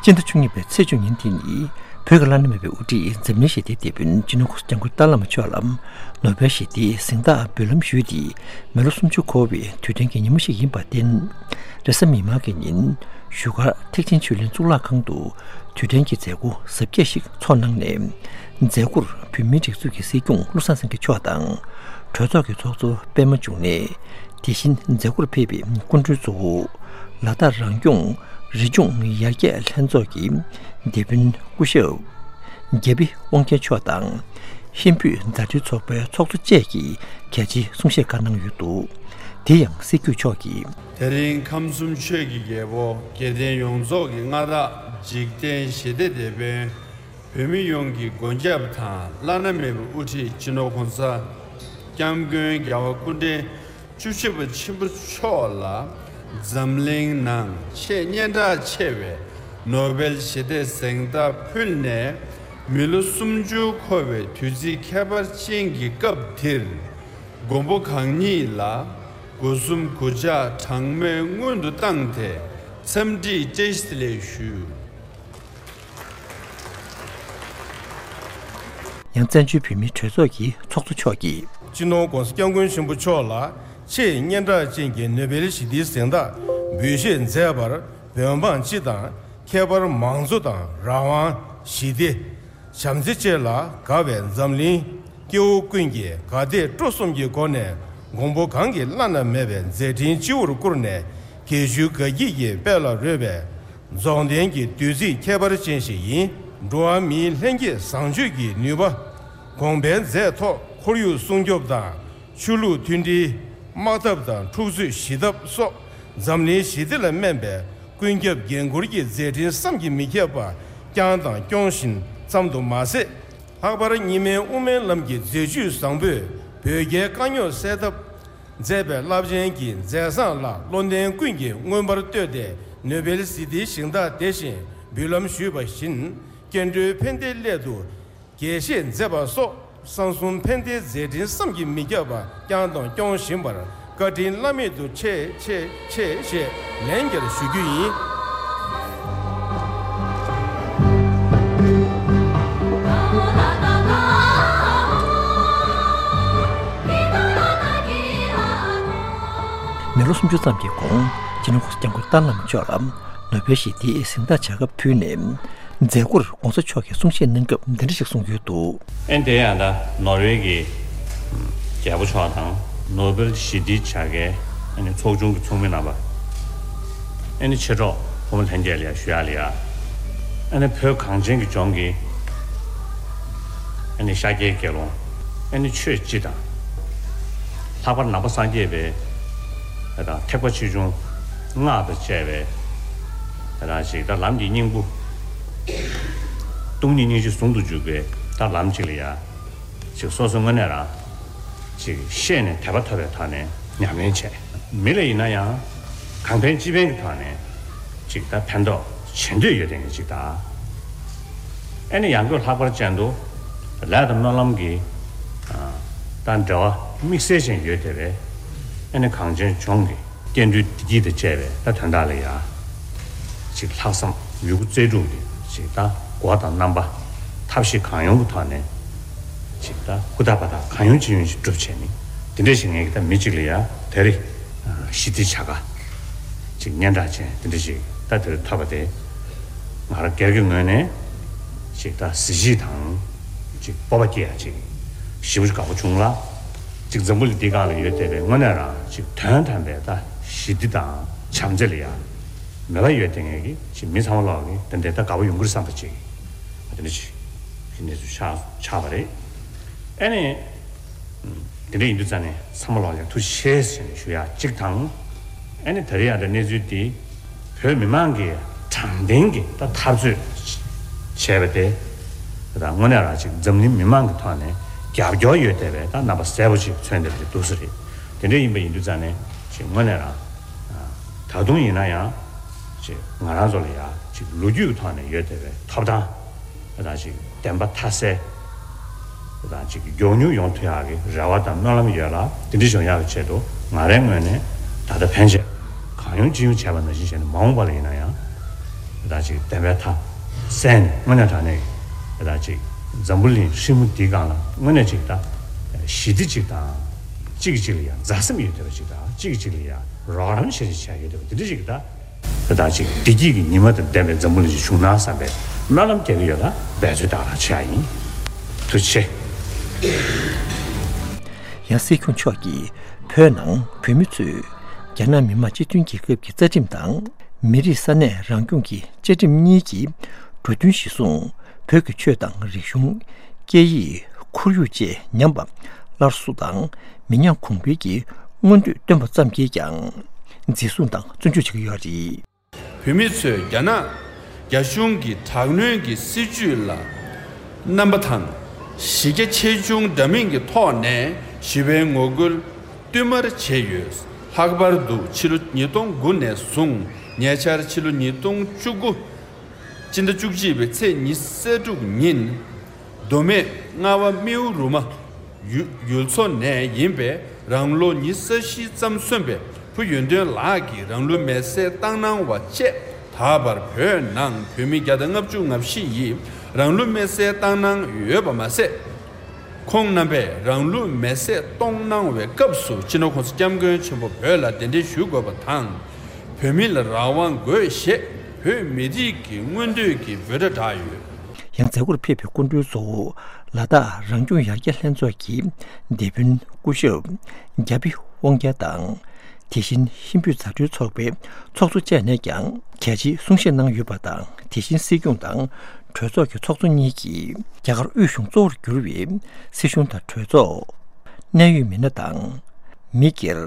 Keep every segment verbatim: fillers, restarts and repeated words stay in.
སྤྱི་ཟླ་བཅུ་གཉིས་པའི་ཚེས་བཅུ་ཉིན་དེ་ནི་བོད་ཀྱི་བླ་ན་མེད་པའི་དབུ་ཁྲིད་འཛམ་གླིང་ཞི་བདེའི་དེད་དཔོན་སྤྱི་ནོར་༧གོང་ས་༧སྐྱབས་མགོན་ཏཱ་བླ་མ་མཆོག་ལ་ནོ་བེལ་ཞི་བདེའི་གཟེངས་རྟགས་འབུལ་ལམ་ཞུས་ཏེ་མི་ལོ་སུམ་ཅུ་འཁོར་བའི་དུས་དྲན་གྱི་ཉིན་མོ་ཞིག་ཡིན་པར་བརྟེན། རེས་གཟའ་མིག་དམར་གྱི་ཉིན་བཞུགས་སྒར་ཐེག་ཆེན་ཆོས་གླིང་གཙུག་ལག་ཁང་དུ་དུས་དྲན་གྱི་མཛད་སྒོ་གཟབ་རྒྱས་ཤིག་ཚོགས་གནང་ནས། མཛད་སྒོར་བོད་མིའི་སྒྲིག་འཛུགས་ཀྱི་སྲིད་སྐྱོང་བློ་བཟང་སེང་གེ་མཆོག་དང་གྲོས་ཚོགས་ཀྱི་ཚོགས་གཙོ་པད་མ་འབྱུང་གནས། དེ་བཞིན་མཛད་སྒོར་ཕེབས་པའི་སྐུ་མགྲོན་གཙོ་བོ་ལ་དྭགས་རང་སྐྱོང་རི་ལྗོངས་ཡར་རྒྱས་ལྷན་ཚོགས་ཀྱི་དེད་དཔོན་སྐུ་ཞབས་རྒྱ་བི་དབང་རྒྱལ་མཆོག་དང་། ཧིན་བོད་མཛའ་འབྲེལ་ཚོགས་པའི་ཚོགས་གཙོ་བཅས་ཀྱིས་གལ་ཆེའི་གསུང་བཤད་ཁག་གནང་ཡོད་འདུག་དེ་ཡང་སྲིད་སྐྱོང་མཆོག་གིས། དེ་རིང་ཁམས་གསུམ་ཆོས་ཀྱི་རྒྱལ་པོ་དགེ་ལྡན་ཡོངས་རྫོགས་ཀྱི་མངའ་བདག་འཇིག་རྟེན་ཞི་བདེའི་དེད་དཔོན། བོད་མི་ཡོངས་ཀྱི་མགོན་སྐྱབས་དང་བླ་ན་མེད་པའི་དབུ་ཁྲིད་སྤྱི་ནོར་༧གོང་ས་༧སྐྱབས་མགོན་རྒྱལ་བ་སྐུ་ཕྲེང་བཅུ་བཞི་པ་ཆེན་པོ་མཆོག་ལ་འཛམ་གླིང་ནང་ཆེས་སྙན་གྲགས་ཆེ་བའི་ནོ་བེལ་ཞི་བདེའི་གཟེངས་རྟགས་ཕུལ་ནས་མི་ལོ་སུམ་ཅུ་འཁོར་བའི་དུས་ཚིགས་ཁྱད་པར་ཅན་གྱི་སྐབས་འདིར། མགོན་པོ་གང་ཉིད་ལ་སྒོ་གསུམ་གུས་ཕྱག་གྲངས་མེད་སྔོན་དུ་བཏང་སྟེ་འཚམས་འདྲི་བཀྲ་ཤིས་བདེ་ལེགས་ཞུ། ཡང་བཙན་བྱོལ་བོད་མིའི་གྲོས་ཚོགས་ཀྱི་ཚོགས་གཙོ་མཆོག་གིས། སྤྱི་ནོར་༧གོང་ས་༧སྐྱབས་མགོན་ཆེན་པོ་མཆོག་ལ་ཆེས་སྙན་གྲགས་ཅན་གྱི་ནོ་བེལ་ཞི་བདེའི་གཟེངས་རྟགས་འབུལ་བཞེས་མཛད་པར་བོད་འབངས་སྤྱི་དང་ཁྱད་པར་མང་གཙོ་དང་རང་དབང་ཞི་བདེ། བྱམས་བརྩེ་བཅས་ལ་དགའ་བའི་འཛམ་གླིང་སྐྱེ་བོ་ཀུན་གྱིས་དགའ་དད་སྤྲོ་གསུམ་གྱི་སྒོ་ནས་མགོན་པོ་གང་གི་བླ་ན་མེད་པའི་མཛད་འཕྲིན་སྤྱི་བོར་བཀུར་ནས་དགེ་བཤེས་དགའ་སྐྱིད་ཀྱི་དཔལ་ལ་རོལ་བའི་རྫོགས་ལྡན་གྱི་དུས་ཚིགས་ཁྱད་པར་ཅན་ཞིག་ཡིན། འགྲོ་བ་མིའི་ལྷན་སྐྱེས་བཟང་སྤྱོད་ཀྱི་ནུས་པ། གོང་འཕེལ་མཛད་ཐོག་ཁོར་ཡུག་སྲུང་སྐྱོབ་དང་། ཆོས་ལུགས་མཐུན་སྒྲིལ། དམག་འཐབ་དང་འཁྲུག་རྩོད་ཞི་ཐབས་སོགས་འཛམ་གླིང་ཞི་བདེ་ལ་སྨན་པའི་ཀུན་ཁྱབ་འགན་འཁུར་གྱི་མཛད་འཕྲིན་བསམ་གྱིས་མི་ཁྱབ་པ་བསྐྱངས་དང་སྐྱོང་བཞིན་ཙམ་དུ་མ་ཟད། ལྷག་པར་གཉིས་སྨན་དབུ་མའི་ལམ་གྱི་མཛད་བཅུས་བཟང་པོས་བོད་རྒྱའི་དཀའ་རྙོག་སེལ་ཐབས་མཛད་པའི་རླབས་ཆེན་གྱི་མཛད་བཟང་ལ་བློ་ལྡན་ཀུན་གྱིས་མངོན་པར་བསྟོད་དེ་ནོ་བེལ་ཞི་བདེའི་གཟེངས་རྟགས་དེ་བཞིན་འབུལ་ལམ་ཞུས་པ་བཞིན་སྐྱེ་འགྲོའི་ཕན་བདེའི་སླད་དུ། དགྱེས་བཞེས་མཛད་པ་སོགས་གསང་གསུམ་ཕན་བདེའི་མཛད་འཕྲིན་བསམ་གྱིས་མི་ཁྱབ་པ་བསྐྱངས་དང་སྐྱོང་བཞིན་པར་བཀའ་དྲིན་བླ་མེད་དུ་ཆེ་ཆེ་ཆེ་ཞེས་ལན་བརྒྱར་ཞུ་རྒྱུ་ཡིན། མི་ལོ་སུམ་ཅུ་ཙམ་གྱི་གོང་སྤྱི་ནོར་༧གོང་ས་༧སྐྱབས་མགོན་ཏཱ་ལའི་བླ་མ་མཆོག་ལ་ནོ་བེལ་ཞི་བདེའི་གཟེངས་རྟགས་བྱ་དགའ་ཕུལ་ནས། མཛད་སྒོར་༧གོང་ས་མཆོག་གིས་གསུང་བཤད་གནང་སྐབས་འདི་འདྲ་ཞིག་གསུངས་ཡོད་འདུག་ཨེ་འདི་ཡང་ད་ནོར་ཝེ་གི་རྒྱལ་པོ་མཆོག་དང་ནོ་བེལ་ཞི་བདེའི་བྱ་དགའི་ཨ་ནི་ཚོགས་ཆུང་གི་ཚོགས་མི་རྣམ་པ། ཨ་ནི་མཆེད་གྲོགས་ཕོ་མོ་ལྷན་རྒྱས་ལ་ཡ་ཞུ་ཡག་ལ་ཡ། ཨ་ནི་བོད་གངས་ཅན་གྱི་ལྗོངས་ཀྱི་ཨ་ནི་ཤཱཀྱའི་དགེ་སློང་ཨ་ནི་ཆོས་སྤྱི་དང་། ལྷག་པར་ནང་པ་སངས་རྒྱས་པའི་ཨ་ད་ཐེག་པ་ཆེ་ཆུང་སྔགས་དང་བཅས་པའི་ཨ་ད་ཅིག་ད་ལམ་གྱི་སྙིང་པོ། སྟོང་ཉིད་སྙིང་རྗེ་ཟུང་དུ་འཇུག་པའི་ད་ལམ་གཅིག་ལ་ཡ། ཅིག་སོ་སོ་དངོས་གནས་རང་ཅིག་ཤེས་ནས་དད་པ་ཐོབ་པའི་ཐོག་ནས་ཉམས་ལེན་བྱས། མི་ལ་ཡིན་ན་ཡང་གང་ཕན་ཅི་ཕན་གྱི་ཐོག་ནས་ཅིག་ད་ཕན་ཐོགས་བྱེད་འདོད་ཡོད་དེ་ངས་ཅིག་ད། ཨེ་ནི་ཡང་སྒོས་ལྷག་པར་ཅན་དུ་ལས་དང་སྨོན་ལམ་གྱི་ད་འབྲེལ་བ་དམིགས་བསལ་ཅན་ཡོད་དེ་བས། ཨེ་ནི་གངས་ཅན་ལྗོངས་ཀྱི་སྐྱེ་འགྲོའི་བདེ་སྐྱིད་དང་བཅས་པའི་ད་དོན་དག་ལ་ཡ། ཅིག་ལྷག་བསམ་ཡོད་རྒུ་རྩལ་སྤྲུགས་ཀྱིས་ཅིག་ད་སྒོ་དང་རྣམ་པ་ཐབས་ཤེས་གང་ཡོང་གི་ཐོག་ནས་ཅིག་ད་ཧུར་ཐག་འབད་ཐག་གང་ཡོང་ཅི་ཡོང་ཞིག་སྒྲུབ་བྱས་ནས་དེ་འདྲ་ཞིག་ངས་ཀྱི་ད་མི་གཅིག་ལ་ཡ་དེ་རིང་ཞི་བདེའི་བྱ་དགའ་ཅིག་སྙན་གྲགས་ཅན་དེ་འདྲ་ཞིག་ད་དེ་རིང་ཐོབ་པ་དེ་ང་རང་སྒེར་གྱི་ངོས་ནས་ཅིག་ད་གཟི་བརྗིད་དང་ཅིག་སྤོབས་པ་སྐྱེ་ཡ་ཅིག་ཞེ་པོ་ཅིག་དགའ་པོ་བྱུང་ལ། ཅིག་འཛམ་བུ་གླིང་འདི་སྒང་ལ་ཡོད་བསྡད་པའི་དངོས་གནས་རང་ཅིག་དོན་དམ་པའི་ད་ཞི་བདེ་དང་བྱམས་བརྩེ་ལ་ཡང་མོས་པ་ཡོད་བསྡད་མཁན་གྱི་ཅིག་མི་ཚང་མ་ལོག་གི་དེ་འདྲའི་ད་དགའ་པོ་ཡོང་གི་རེད་བསམ་པ་ཅིག་དེ་འདྲ་ཅིག་གི་གནས་ཚུལ་ཆགས་ཆགས་པ་རེད། ཨ་ནི་དེ་འདྲ་ཡིན་དུས་ཙང་ནས་ཚང་མ་ལོག་ལ་ཐུགས་རྗེ་ཆེ་ཟེར་ནས་ཞུ་ཡ་གཅིག་དང་། ཨ་ནི་ད་རེས་ཡང་ད་གནས་ཚུལ་འདི་བོད་མི་མང་གིས་དྲང་བདེན་གྱི་ད་འཐབ་རྩོད་བྱས་པ་དེ་ད་དངོས་གནས་རང་ཅིག་འཛམ་གླིང་མི་མང་གི་ཐོག་ནས་རྒྱབ་སྐྱོར་ཡོད་བསྡད་པའི་ད་རྣམ་པ་གསལ་པོ་ཅིག་མཚོན་བསྡད་པ་ཅིག་འདུག་ས་རེད། དེ་འདྲ་ཡིན་པ་ཡིན་དུས་ཙང་ནས་ཅིག་དངོས་གནས་རང་ད་དུང་ཡིན་ན་ཡང་ཅིག་ང་རང་ཚོ་ལ་ཡང་ཅིག་ལོ་རྒྱུས་ཀྱི་ཐོག་ནས་ཡོད་བསྡད་པའི་ཐོབ་ཐང་ད་ཅིག་བདེན་པ་མཐའ་གསལ། དང་གཅིག་གི་མགྱོགས་མྱུར་ཡོང་ཐུབ་ཡག་གི་རེ་བ་དང་སྨོན་ལམ་ཡོད་ལ། དེ་འདྲ་བྱུང་ཡག་གི་ཆེད་དུ་ང་རའི་ངོས་ནས་ད་ལྟ་ཕན་ཆད་གང་ཡོང་ཅི་ཡོང་བྱས་པ་ནང་བཞིན་བྱས་ནས་མ་འོངས་པ་ལ་ཡིན་ན་ཡང་ ད་ཅིག་བདེན་པའི་མཐའ་གསལ་ནས་དངོས་གནས་དྲང་གནས་ད་ཅིག་འཛམ་བུ་གླིང་ཧྲིལ་མོ་འདིའི་སྒང་ལ་དངོས་གནས་ཅིག་ད་ཞི་བདེ་ཅིག་དང་གཅིག་གིས་གཅིག་ལ་ཡང་མཛའ་སེམས་ཡོད་བསྡད་པ་ཅིག་དང་གཅིག་གིས་གཅིག་ལ་ཡང་རོགས་རམ་བྱེད་བྱེད་ཡོད་བསྡད་པ་འདི་འདྲ་ཅིག་ད་ད་ཅིག་བདེ་སྐྱིད་ཀྱི་ཉི་མ་དང་ལྡན་པའི་འཛམ་བུ་གླིང་ཅིག་བྱུང་ན་བསམ་པའི་སྨོན་ལམ་རྒྱག་གི་ཡོད་ལ་འབད་རྩོལ་ད་ག་རང་བྱེད་ཡ་ཡིན། ཐུགས་རྗེ་ཆེ། ཡང་སྲིད་སྐྱོང་མཆོག་གིས་བོད་ནང་བོད་མི་ཚོས་རྒྱ་ནག་མི་དམངས་སྤྱི་མཐུན་རྒྱལ་ཁབ་ཀྱི་རྩ་ཁྲིམས་དང་མི་རིགས་ས་གནས་རང་སྐྱོང་གི་བཅའ་ཁྲིམས་གཉིས་ཀྱི་འབྲུ་དོན་གཞིར་བཟུང་བོད་ཀྱི་ཆོས་དང་རིག་གཞུང་། སྐད་ཡིག་ཁོར་ཡུག་བཅས་ཉམས་པ་སླར་གསོ་དང་མི་ཉམས་གོང་འཕེལ་གྱི་མངོན་འདོད་བཏོན་པ་ཙམ་གྱིས་ཀྱང་འཛིན་བཟུང་དང་བཙོན་འཇུག་བྱེད་ཀྱི་ཡོད་རེད། བོད་མི་ཚོས་རྒྱ་ནག་རྒྱ་གཞུང་གི་དྲག་གནོན་གྱི་སྲིད་བྱུས་ལ་རྣམ་པ་དང་གཞི་རྒྱ་ཆེ་ཆུང་འདྲ་མིན་གྱི་ཐོག་ནས་ཞི་བའི་ངོ་རྒོལ་བསྟུད་མར་བྱས་ཡོད། ལྷག་པར་དུ་ཕྱི་ལོ་ཉིས་སྟོང་དགུ་ནས་བཟུང་ཉེ་ཆར་ཕྱི་ལོ་ཉིས་སྟོང་བཅུ་དགུ་སྤྱི་ཟླ་བཅུ་གཅིག་པའི་ཚེས་ཉི་ཤུ་རྩ་དྲུག་ཉིན། མདོ་སྨད་རྔ་བ་རྨེའུ་རུ་མ་ཡུལ་ཡུལ་ཚོ་ནས་ཡིན་པའི་རང་ལོ་ཉི་ཤུ་རྩ་བཞི་ཙམ་སོན་པའི་བུ་ཡོན་ཏན་ལགས་ཀྱིས་རང་ལུས་མེར་སྲེག་བཏང་གནང་བ་བཅས། ད་བར་བོད་ནང་བོད་མི་བརྒྱ་དང་ལྔ་བཅུ་ང་བཞི་ཡིས་རང་ལུས་མེར་སྲེག་བཏང་གནང་ཡོད་པ་མ་ཟད། ཁོང་རྣམ་པས་རང་ལུས་མེར་སྲེག་གཏོང་གནང་བའི་སྐབས་སུ་སྤྱི་ནོར་༸གོང་ས་༸སྐྱབས་མགོན་ཆེན་པོ་བོད་ལ་གདན་འདྲེན་ཞུ་དགོས་པ་དང་། བོད་མི་ལ་རང་དབང་དགོས་ཞེས་བོད་མི་རིགས་ཀྱི་མངོན་འདོད་ཀྱི་འབོད་སྒྲ་བསྒྲགས་ཡོད། ཡང་མཛད་སྒོར་ཕེབས་པའི་སྐུ་མགྲོན་གཙོ་བོ་ལ་དྭགས་རང་སྐྱོང་ཡར་རྒྱས་ལྷན་ཚོགས་ཀྱི་སྡེ་དཔོན་སྐུ་ཞབས་རྒྱ་བི་དབང་རྒྱལ་དང་། དེ་བཞིན་ཧིན་བོད་མཛའ་འབྲེལ་ཚོགས་པའི་ཚོགས་གཙོ་བཅས་ནས་ཀྱང་གལ་ཆེའི་གསུང་བཤད་གནང་ཡོད་པ་དང་། དེ་བཞིན་སྲིད་སྐྱོང་དང་གྲོས་ཚོགས་ཀྱི་ཚོགས་གཙོ་གཉིས་ཀྱིས་རྒྱ་གར་དབུས་གཞུང་གཙོ་བོར་གྱུར་བའི་སྲིད་གཞུང་དང་གྲོས་ཚོགས། གནད་ཡོད་མི་སྣ་དང་། མི་སྒེར།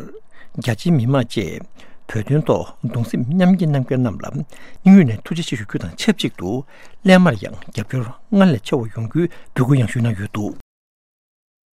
རྒྱ་ཆེའི་མི་མང་བཅས་བོད་དོན་ཐོག་གདུང་སེམས་མཉམ་སྐྱེད་གནང་མཁན་རྣམས་ལ་སྙིང་དབུས་ནས་ཐུགས་རྗེ་ཆེ་ཞུ་རྒྱུ་དང་ཆབས་ཅིག་ཏུ་སླད་མར་ཡང་རྒྱབ་སྐྱོར་སྔར་ལས་ཆེ་བ་ཡོང་རྒྱུའི་འབོད་སྐུལ་ཡང་ཞུས་གནང་ཡོད་འདུག།